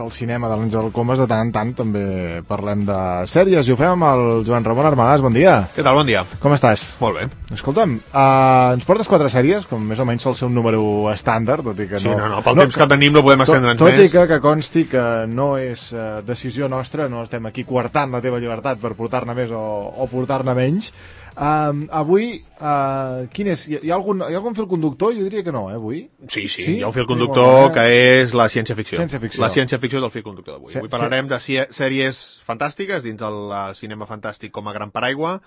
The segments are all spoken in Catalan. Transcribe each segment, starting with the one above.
del cinema de l'Àngel Comas, de tant en tant també parlem de sèries i ho fem amb el Joan Ramon Armagàs. Bon dia. Què tal? Bon dia. Com estàs? Molt bé. Escolta'm, ens portes 4 sèries, com més o menys sol ser un número estàndard, tot i que sí, no, pel temps que tenim no podem estendre'ns més. Tot i que consti que no és decisió nostra, no estem aquí coartant la teva llibertat per portar-ne més o portar-ne menys. Avui, quin és? Hi ha algun fil conductor? Jo diria que no, avui. Sí, hi ha un fil conductor que és la ciència-ficció. La ciència-ficció del fil conductor d'avui. Avui parlarem de sèries fantàstiques dins del cinema fantàstic com a gran paraigua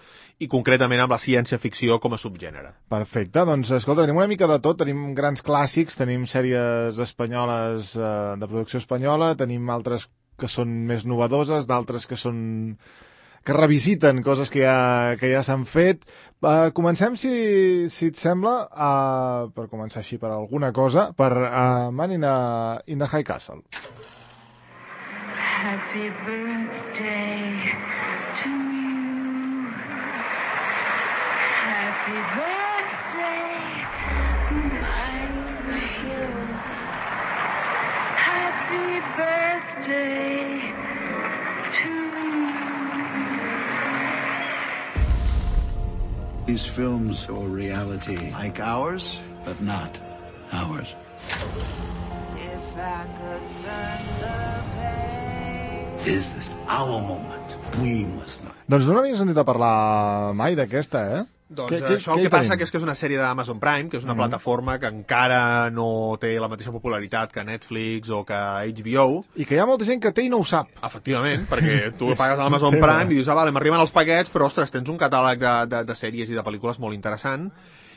i concretament amb la ciència-ficció com a subgènere. Perfecte, doncs escolta, tenim una mica de tot, tenim grans clàssics, tenim sèries espanyoles de producció espanyola, tenim altres que són més novedoses, d'altres que revisiten coses que ja s'han fet. Comencem, si et sembla, per començar així per alguna cosa, per Man in the High Castle. Happy birthday to you. Happy birthday, my Phil. Happy birthday to you. These films are reality like ours, but not ours. If I could turn the page. This is our moment. We must not. Doncs no n'havia sentit a parlar mai d'aquesta, eh? Doncs això el que passa que és una sèrie d'Amazon Prime, que és una plataforma que encara no té la mateixa popularitat que Netflix o que HBO. I que hi ha molta gent que té i no ho sap. Efectivament, perquè tu pagues a l'Amazon Prime i dius, vale, m'arriben els paquets, però ostres, tens un catàleg de sèries i de pel·lícules molt interessant.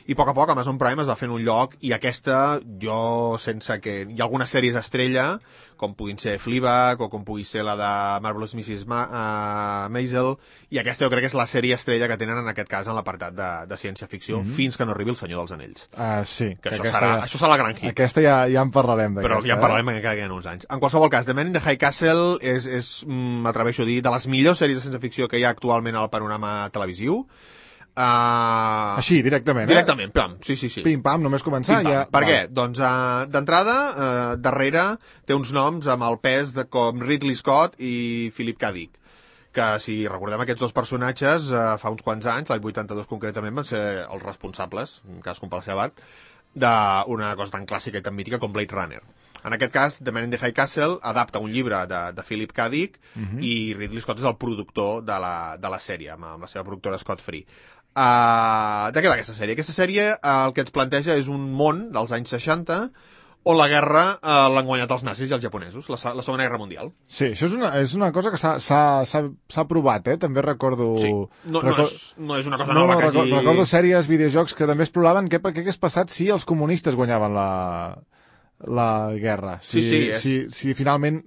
I a poc Amazon Prime es va fent un lloc i aquesta, jo, sense que... Hi ha algunes sèries estrella, com puguin ser Fleabag o com pugui ser la de Marvelous Mrs. Maisel, i aquesta jo crec que és la sèrie estrella que tenen en aquest cas en l'apartat de ciència-ficció, fins que no arribi El Senyor dels Anells. Sí. Que això serà la gran hit. Aquesta ja en parlarem d'aquesta. Però ja en parlarem encara que hi ha uns anys. En qualsevol cas, The Man in the High Castle m'atreveixo a dir, de les millors sèries de ciència-ficció que hi ha actualment al panorama televisiu. Així, directament, Directament, pam, sí. Pim-pam, només començar. Ja... Per què? Doncs, d'entrada, darrere té uns noms amb el pes com Ridley Scott i Philip K. Dick, que si recordem aquests dos personatges, fa uns quants anys, l'any 82 concretament, van ser els responsables, cadascun pel seu abat, d'una cosa tan clàssica i tan mítica com Blade Runner. En aquest cas, The Man in the High Castle adapta un llibre de Philip K. Dick i Ridley Scott és el productor de la sèrie, amb la seva productora Scott Free. De què va aquesta sèrie? Aquesta sèrie el que ens planteja és un món dels anys 60 on la guerra l'han guanyat els nazis i els japonesos, la Segona Guerra Mundial. Sí, això és una cosa que s'ha provat, també recordo... Sí, no és una cosa nova que hagi... Recordo sèries, videojocs que també exploraven què hagués passat si els comunistes guanyaven la guerra. Si finalment,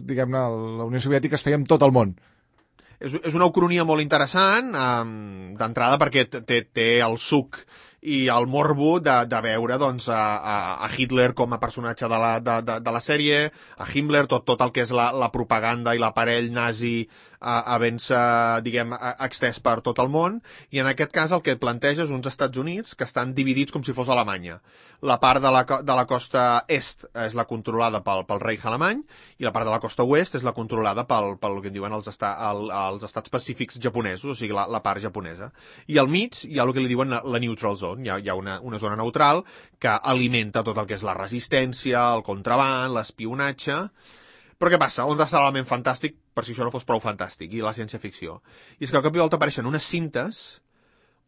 diguem-ne, la Unió Soviètica es feia amb tot el món. És una ucronia molt interessant, d'entrada perquè té el suc i el morbo de veure doncs, a Hitler com a personatge de la sèrie, a Himmler, tot el que és la propaganda i l'aparell nazi havent-se, diguem, extès per tot el món, i en aquest cas el que planteja és uns Estats Units que estan dividits com si fos Alemanya. La part de la costa est és la controlada pel Reich alemany i la part de la costa oest és la controlada pel que en diuen els estats pacífics japonesos, o sigui, la part japonesa. I al mig hi ha el que li diuen la neutral zone, hi ha una zona neutral que alimenta tot el que és la resistència, el contraban, l'espionatge. Però què passa? On està l'element fantàstic, per si això no fos prou fantàstic, i la ciència-ficció? I és que al cop i volta apareixen unes cintes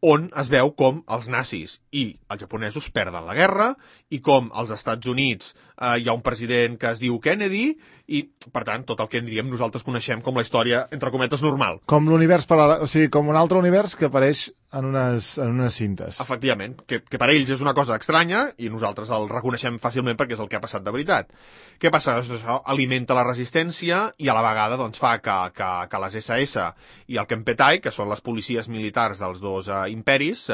on es veu com els nazis i els japonesos perden la guerra i com als Estats Units hi ha un president que es diu Kennedy i, per tant, tot el que nosaltres coneixem com la història, entre cometes, normal. Com l'univers paral·lel, o sigui, com un altre univers que apareix en unes cintes. Efectivament, que per ells és una cosa estranya i nosaltres el reconeixem fàcilment perquè és el que ha passat de veritat. Què passa? Això alimenta la resistència i a la vegada doncs, fa que les SS i el Kempeitai, que són les policies militars dels dos imperis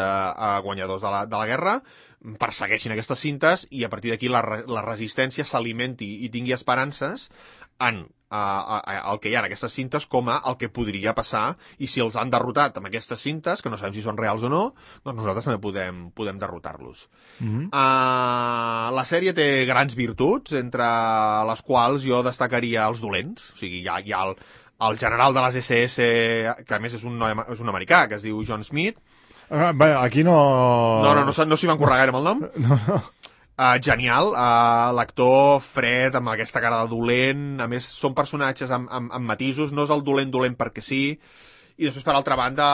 guanyadors de la guerra, persegueixin aquestes cintes i a partir d'aquí la resistència s'alimenti i tingui esperances en el que hi ha en aquestes cintes com a el que podria passar, i si els han derrotat amb aquestes cintes, que no sabem si són reals o no, doncs nosaltres també podem derrotar-los. La sèrie té grans virtuts, entre les quals jo destacaria els dolents. O sigui, hi ha el general de les SS, que a més és un americà, que es diu John Smith. Bé, aquí no... No s'hi van currar gaire amb el nom. No. Genial, l'actor fred, amb aquesta cara de dolent, a més són personatges amb matisos, no és el dolent perquè sí, i després per altra banda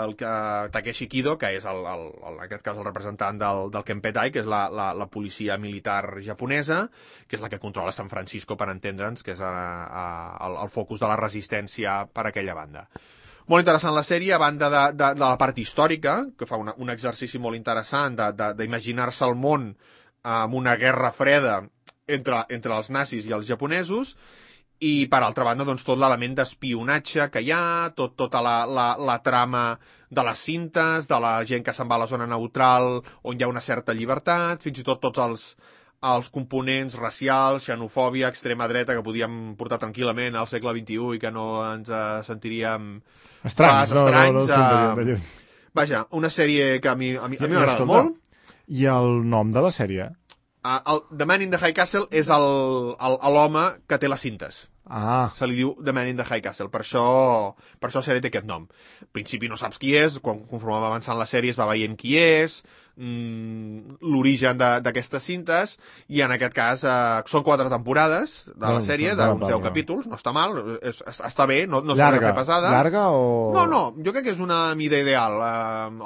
el Takeshi Kido, que és en aquest cas el representant del Kempetai, que és la policia militar japonesa, que és la que controla San Francisco, per entendre'ns, que és el focus de la resistència per aquella banda. Molt interessant la sèrie, a banda de la part històrica, que fa un exercici molt interessant d'imaginar-se el món amb una guerra freda entre els nazis i els japonesos, i per altra banda doncs, tot l'element d'espionatge que hi ha, tota la trama de les cintes, de la gent que se'n va a la zona neutral on hi ha una certa llibertat, fins i tot tots els components racials, xenofòbia, extrema dreta, que podíem portar tranquil·lament al segle XXI i que no ens sentiríem estranys. Vaja, una sèrie que a mi m'agrada molt. I el nom de la sèrie? The Man in the High Castle és l'home que té les cintes. Se li diu The Man in the High Castle, per això la sèrie té aquest nom. Al principi no saps qui és, conforme va avançant la sèrie es va veient qui és, l'origen d'aquestes cintes, i en aquest cas són 4 temporades de la sèrie, d'uns 10 capítols, no està mal, està bé, no s'ha de fer pesada. Llarga o...? No, jo crec que és una mida ideal.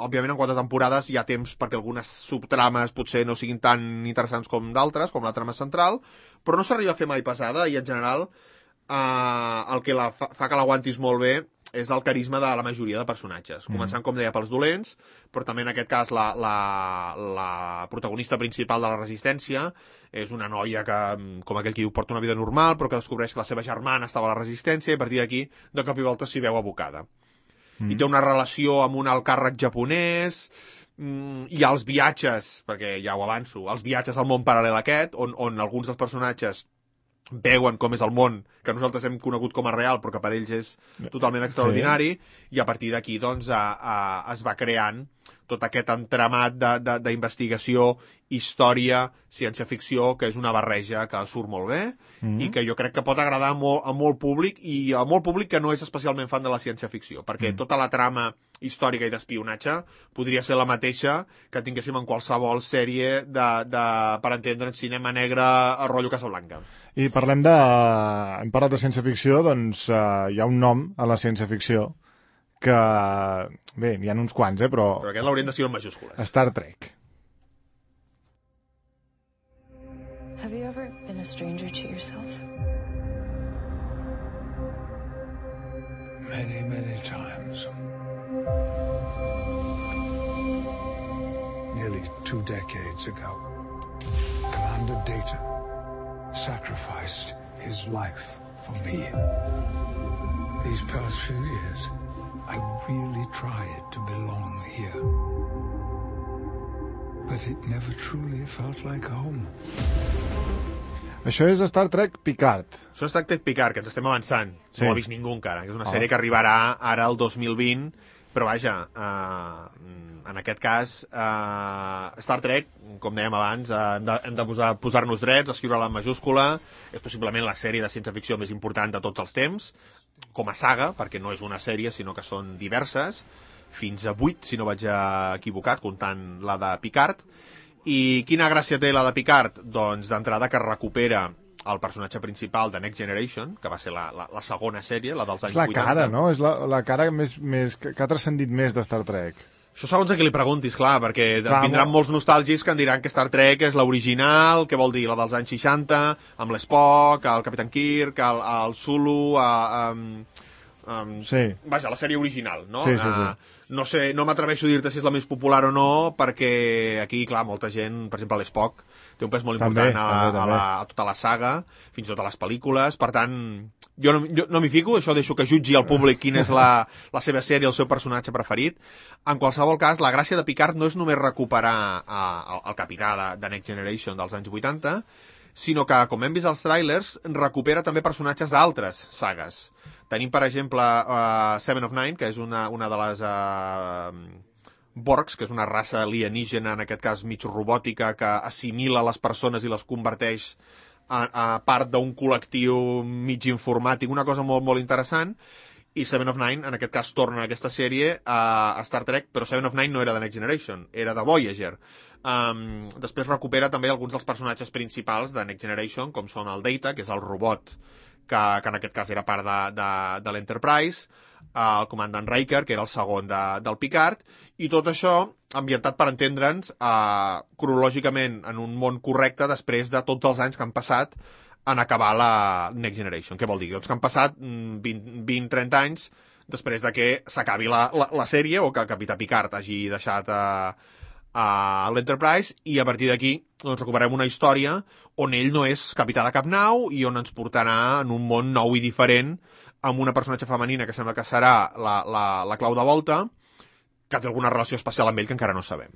Òbviament en 4 temporades hi ha temps perquè algunes subtrames potser no siguin tan interessants com d'altres, com la trama central, però no s'arriba a fer mai pesada, i en general el que fa que l'aguantis molt bé és el carisma de la majoria de personatges, començant, com deia, pels dolents, però també en aquest cas la protagonista principal de la resistència és una noia que, com aquell que diu, porta una vida normal, però que descobreix que la seva germana estava a la resistència, i a partir d'aquí, de cop i volta s'hi veu abocada. I té una relació amb un alt càrrec japonès, hi ha els viatges, perquè ja ho avanço, els viatges al món paral·lel aquest, on alguns dels personatges veuen com és el món que nosaltres hem conegut com a real, però que per ells és totalment extraordinari, i a partir d'aquí doncs, es va creant tot aquest entramat d'investigació, història, ciència-ficció, que és una barreja que surt molt bé, i que jo crec que pot agradar a molt públic, i a molt públic que no és especialment fan de la ciència-ficció, perquè tota la trama històrica i d'espionatge podria ser la mateixa que tinguéssim en qualsevol sèrie per entendre, cinema negre a rotllo Casablanca. I hem parlat de ciència-ficció, doncs hi ha un nom a la ciència-ficció que, bé, n'hi ha uns quants, però aquest l'haurien de ser en majúscules. Star Trek. Have you ever been a stranger to yourself? Many, many times. Nearly 2 decades ago, Commander Data sacrificed his life for me. These past few years, I really tried to belong here. But it never truly felt like home. Això és Star Trek Picard. Això és Star Trek Picard, que ens estem avançant. Sí. No ho ha vist ningú encara, que és una sèrie que arribarà ara el 2020, però vaja, en aquest cas, Star Trek, com dèiem abans, hem de posar-nos drets, escriure-la en majúscula, és possiblement la sèrie de ciència-ficció més important de tots els temps, com a saga, perquè no és una sèrie, sinó que són diverses, fins a 8, si no vaig equivocat, comptant la de Picard. I quina gràcia té la de Picard? Doncs d'entrada que recupera el personatge principal de Next Generation, que va ser la segona sèrie, la dels anys 80. És la cara, no? És la cara més que ha transcendit més de Star Trek. Això segons a qui li preguntis, clar, perquè vindran molts nostàlgics que em diran que Star Trek és l'original, què vol dir, la dels anys 60, amb l'Spock, el Capitán Kirk, el Sulu, sí. Vaja, la sèrie original, no? Sí, sí. No sé, no m'atreveixo a dir-te si és la més popular o no, perquè aquí, clar, molta gent, per exemple, l'Spock té un pes molt important a tota la saga, fins i tot a les pel·lícules, per tant, jo no m'hi fico, això deixo que jutgi el públic quina és la seva sèrie, el seu personatge preferit. En qualsevol cas, la gràcia de Picard no és només recuperar el capità de Next Generation dels anys 80, sinó que, com hem vist als trailers, recupera també personatges d'altres sagues. Tenim, per exemple, Seven of Nine, que és una de les Borgs, que és una raça alienígena, en aquest cas mig robòtica, que assimila les persones i les converteix a part d'un col·lectiu mig informàtic, una cosa molt, molt interessant. I Seven of Nine, en aquest cas, torna a aquesta sèrie a Star Trek, però Seven of Nine no era de Next Generation, era de Voyager. Després recupera també alguns dels personatges principals de Next Generation, com són el Data, que és el robot, que en aquest cas era part de l'Enterprise, el comandant Riker, que era el segon del Picard, i tot això ambientat, per entendre'ns, cronològicament en un món correcte després de tots els anys que han passat en acabar la Next Generation. Què vol dir? Doncs que han passat 20-30 anys després de que s'acabi la sèrie o que el Capità Picard hagi deixat a l'Enterprise, i a partir d'aquí doncs, recuperem una història on ell no és capità de cap nau i on ens portarà en un món nou i diferent amb una personatge femenina que sembla que serà la clau de volta, que té alguna relació especial amb ell que encara no sabem.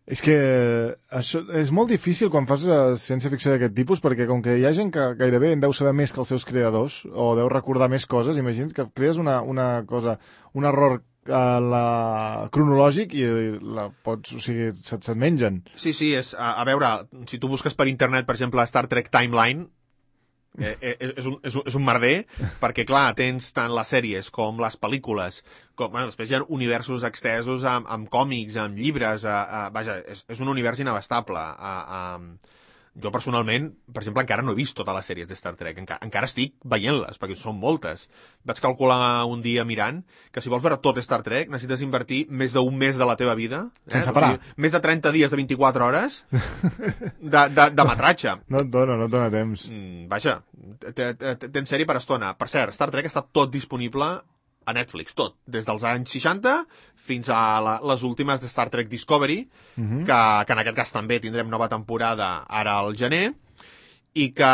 És que això és molt difícil quan fas ciència-ficció d'aquest tipus, perquè com que hi ha gent que gairebé en deu saber més que els seus creadors, o deu recordar més coses, imagina't que crees una cosa, un error cronològic i o sigui, se't mengen. Sí, és, a veure, si tu busques per internet, per exemple, Star Trek Timeline, és un merder, perquè clar, tens tant les sèries com les pel·lícules, després hi ha universos extesos amb còmics, amb llibres, vaja, és un univers inabastable. Jo personalment, per exemple, encara no he vist totes les sèries de Star Trek, encara estic veient-les, perquè són moltes. Vaig calcular un dia mirant que si vols veure tot Star Trek necessites invertir més d'un mes de la teva vida, sense parar. O sigui, més de 30 dies de 24 hores de metratge. No et dona temps. Vaja, tens sèrie per estona. Per cert, Star Trek està tot disponible a Netflix, tot, des dels anys 60 fins a les últimes de Star Trek Discovery, que en aquest cas també tindrem nova temporada ara al gener, i que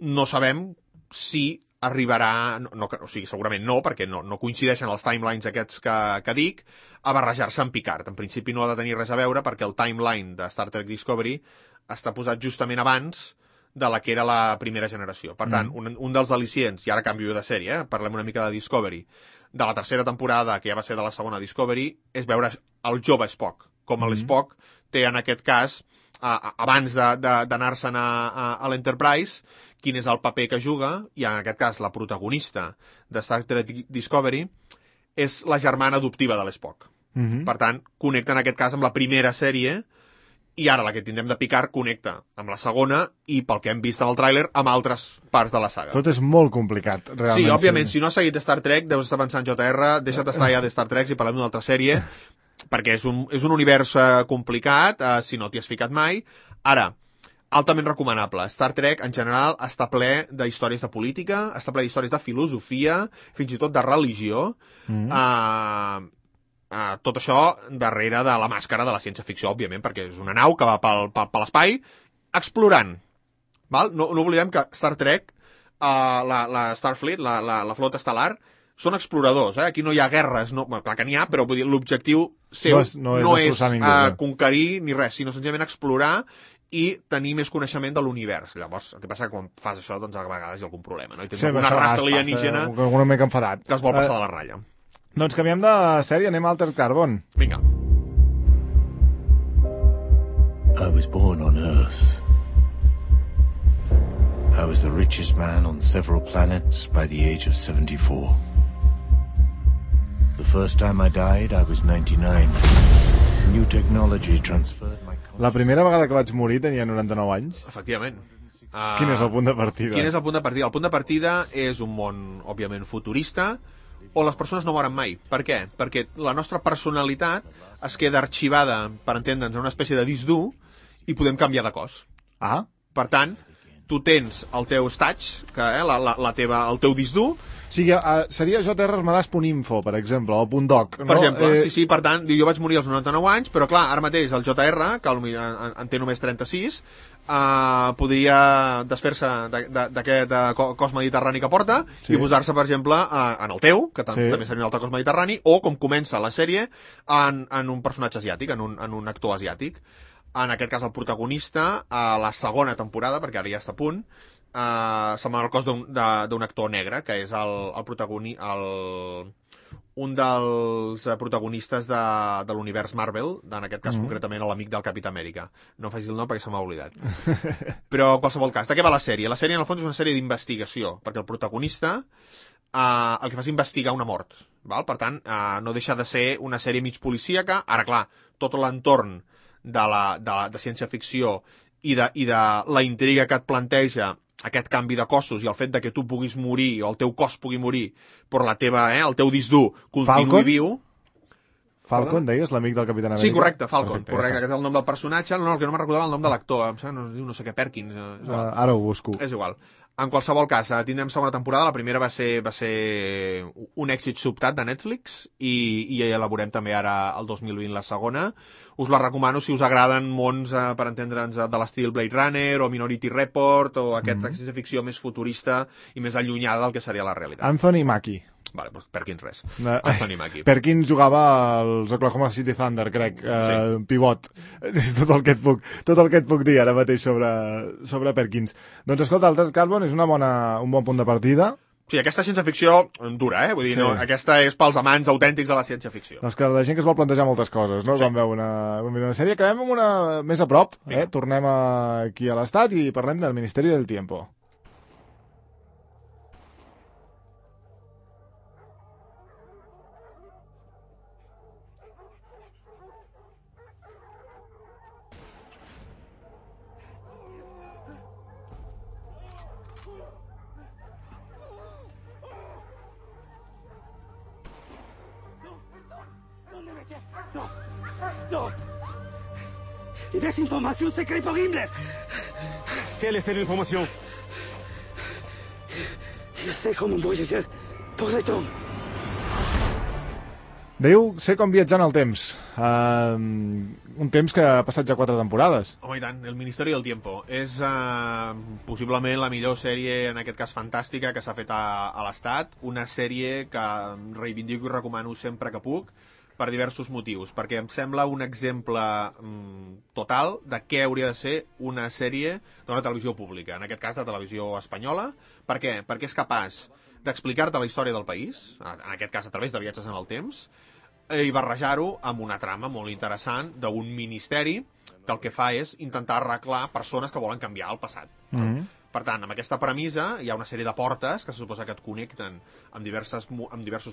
no sabem si arribarà, o sigui, segurament no, perquè no coincideixen els timelines aquests que dic, a barrejar-se amb Picard. En principi no ha de tenir res a veure, perquè el timeline de Star Trek Discovery està posat justament abans de la que era la primera generació. Per tant, un dels al·licients, i ara canvio de sèrie, parlem una mica de Discovery, de la tercera temporada, que ja va ser de la segona Discovery, és veure el jove Spock. Com l'Spock té, en aquest cas, abans d'anar-se'n a l'Enterprise, quin és el paper que juga, i en aquest cas la protagonista de Star Trek Discovery és la germana adoptiva de l'Spock. Per tant, connecta en aquest cas amb la primera sèrie, i ara la que tindrem de Picard connecta amb la segona i, pel que hem vist en el tràiler, amb altres parts de la saga. Tot és molt complicat, realment. Sí, òbviament, si no has seguit Star Trek, deus estar pensant, JR, deixa't estar ja de Star Trek i parlem d'una altra sèrie, perquè és un univers complicat, si no t'hi has ficat mai. Ara, altament recomanable. Star Trek, en general, està ple de històries de política, està ple d'històries de filosofia, fins i tot de religió, tot això darrere de la màscara de la ciència-ficció, òbviament, perquè és una nau que va per l'espai explorant. Val? No oblidem que Star Trek, la Starfleet, la flota estel·lar, són exploradors. Aquí no hi ha guerres. Clar que n'hi ha, però vull dir, l'objectiu seu no és conquerir ni res, sinó senzillament explorar i tenir més coneixement de l'univers. Llavors, el que passa que quan fas això, doncs a vegades hi ha algun problema, no? I tens una raça alienígena que es vol passar de la ratlla. Doncs canviem de sèrie, anem a Altered Carbon. Vinga. I was born on Earth. I was the richest man on several planets by the age of 74. The first time I died, I was 99. New technology transferred my... La primera vegada que vaig morir tenia 99 anys. Efectivament. Quin és el punt de partida? Quin és el punt de partida? El punt de partida és un món, òbviament, futurista, on les persones no moren mai. Per què? Perquè la nostra personalitat es queda arxivada, per entendre'ns, en una espècie de disc dur i podem canviar de cos. Per tant, tu tens el teu stage, el teu disc dur. O sigui, seria jrarmadàs.info, per exemple, o .doc. Per exemple, sí, per tant, jo vaig morir als 99 anys, però clar, ara mateix el JR, que en té només 36, podria desfer-se d'aquest cos mediterrani que porta i posar-se, per exemple, en el teu, que també seria un altre cos mediterrani, o, com comença la sèrie, en un personatge asiàtic, en un actor asiàtic. en aquest cas el protagonista, a la segona temporada, perquè ara ja està a punt, se'n va al cos d'un actor negre, que és un dels protagonistes de l'univers Marvel, en aquest cas concretament l'amic del Capità Amèrica. No facis el nom perquè se m'ha oblidat. Però en qualsevol cas, de què va la sèrie? La sèrie en el fons és una sèrie d'investigació, perquè el protagonista el que fa és investigar una mort. Val? Per tant, no deixa de ser una sèrie mig policíaca. Ara, clar, tot l'entorn de ciència-ficció i de la intriga que et planteja aquest canvi de cossos i el fet de que tu puguis morir o el teu cos pugui morir però el teu disc dur continuï viu. Falcon, deies, l'amic del Capità Amèrica? Sí, correcte, Falcon. Perfecte, correcte, aquest és el nom del personatge. No, el que no me'n recordava el nom de l'actor. No sé què, Perkins. Ara ho busco. És igual. En qualsevol cas, tindrem segona temporada. La primera va ser un èxit sobtat de Netflix i ja la veurem també ara el 2020 la segona. Us la recomano si us agraden mons, per entendre'ns, de l'estil Blade Runner o Minority Report o aquesta ciència-ficció més futurista i més allunyada del que seria la realitat. Anthony Mackie. Vale, doncs Perkins res. Anthony Mackie. Perkins jugava als Oklahoma City Thunder, crec, pivot. És tot el que et puc dir ara mateix sobre Perkins. Doncs escolta, Altered Carbon és un bon punt de partida. Sí, aquesta ciència-ficció dura, Vull dir, no, aquesta és pels amants autèntics de la ciència-ficció. És que la gent que es vol plantejar moltes coses, no? Sí. Vam veure una sèrie. Acabem amb una més a prop, Tornem aquí a l'Estat i parlem del Ministeri del Tiempo. ¡No! ¡Desinformación secreta por Himmler! Quelle est cette information? C'est comme un voyageur pour le temps. Diu, sé com viatjar en el temps. Un temps que ha passat ja 4 temporades. Home, i tant, El Ministeri del Tiempo. És possiblement la millor sèrie, en aquest cas fantàstica, que s'ha fet a l'Estat. Una sèrie que reivindico i recomano sempre que puc, per diversos motius, perquè em sembla un exemple total de què hauria de ser una sèrie d'una televisió pública, en aquest cas de televisió espanyola. Per què? Perquè és capaç d'explicar-te la història del país, en aquest cas a través de viatges en el temps, i barrejar-ho amb una trama molt interessant d'un ministeri que el que fa és intentar arreglar persones que volen canviar el passat. Per tant, amb aquesta premissa hi ha una sèrie de portes que se suposa que et connecten amb diversos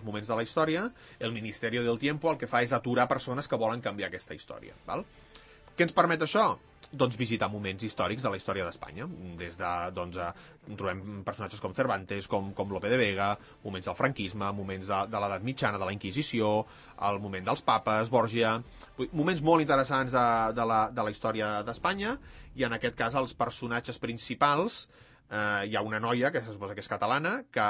moments de la història. El Ministeri del Tiempo el que fa és aturar persones que volen canviar aquesta història. Val? Què ens permet això? Doncs visitar moments històrics de la història d'Espanya. Des de, trobem personatges com Cervantes, com Lope de Vega, moments del franquisme, moments de l'edat mitjana, de la Inquisició, el moment dels papes, Borgia... Moments molt interessants de la història d'Espanya, i en aquest cas els personatges principals, hi ha una noia que se suposa que és catalana, que...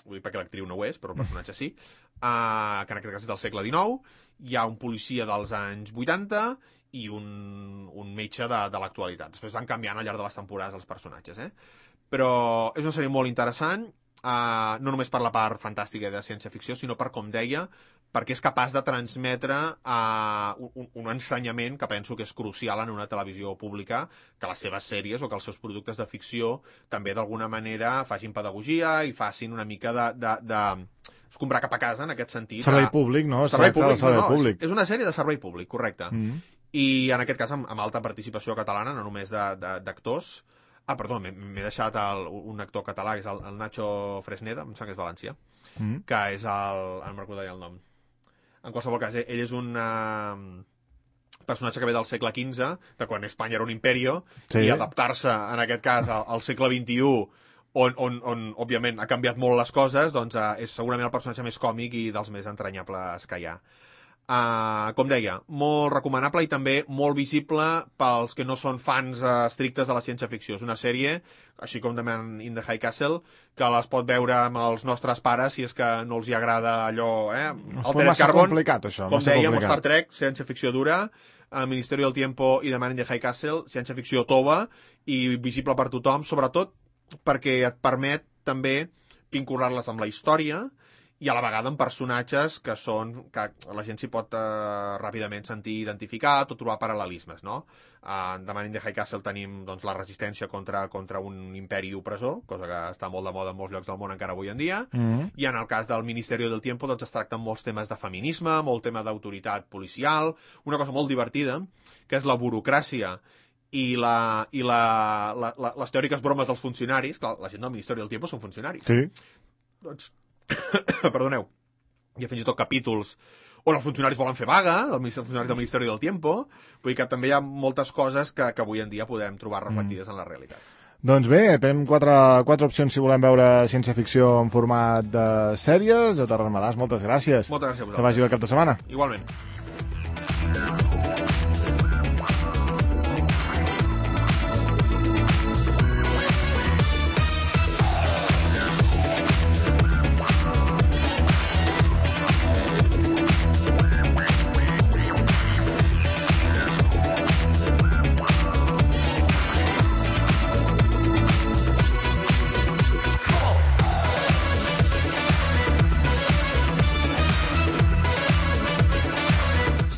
vull dir perquè l'actriu no ho és, però el personatge sí, que en aquest cas és del segle XIX, hi ha un policia dels anys 80 i un metge de l'actualitat. Després van canviant al llarg de les temporades els personatges, Però és una sèrie molt interessant, no només per la part fantàstica de ciència-ficció, sinó per, com deia, perquè és capaç de transmetre un ensenyament que penso que és crucial en una televisió pública, que les seves sèries o que els seus productes de ficció també d'alguna manera facin pedagogia i facin una mica de comprar cap a casa, en aquest sentit. Servei públic, no? Servei públic. És una sèrie de servei públic, correcte. I en aquest cas amb alta participació catalana, no només d'actors. Perdó, m'he deixat un actor català, que és el Nacho Fresneda, em sembla que és valencià, que és no me'n recordo el nom. En qualsevol cas, ell és un personatge que ve del segle XV, de quan Espanya era un imperio, i adaptar-se, en aquest cas, al segle XXI, on òbviament, ha canviat molt les coses, doncs és segurament el personatge més còmic i dels més entranyables que hi ha. Com deia, molt recomanable i també molt visible pels que no són fans estrictes de la ciència-ficció. És una sèrie, així com The Man in the High Castle, que les pot veure amb els nostres pares si és que no els hi agrada allò, Altered Carbon, complicat, això, com dèiem, Star Trek, ciència-ficció dura, Ministeri del Tiempo i The Man in the High Castle, ciència-ficció tova i visible per tothom, sobretot perquè et permet també vincular-les amb la història i a la vegada amb personatges que la gent s'hi pot ràpidament sentir identificat o trobar paral·lelismes, no? De Man in the High Castle tenim doncs, la resistència contra un imperi opressor, cosa que està molt de moda en molts llocs del món encara avui en dia, i en el cas del Ministerio del Tiempo doncs, es tracten molts temes de feminisme, molt tema d'autoritat policial, una cosa molt divertida, que és la burocràcia i les teòriques bromes dels funcionaris. Clar, la gent del Ministeri del Tiempo són funcionaris. Sí. Doncs, perdoneu, hi ha fins i tot capítols on els funcionaris volen fer vaga, els funcionaris del Ministeri del Tiempo, vull dir que també hi ha moltes coses que avui en dia podem trobar reflectides en la realitat. Doncs bé, tenim quatre opcions si volem veure ciència-ficció en format de sèries. Jota Ramadàs, moltes gràcies. Moltes gràcies a vosaltres. Que vagi bé el cap de setmana. Igualment.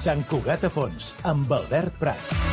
Sant Cugat a Fons, amb Albert Prat.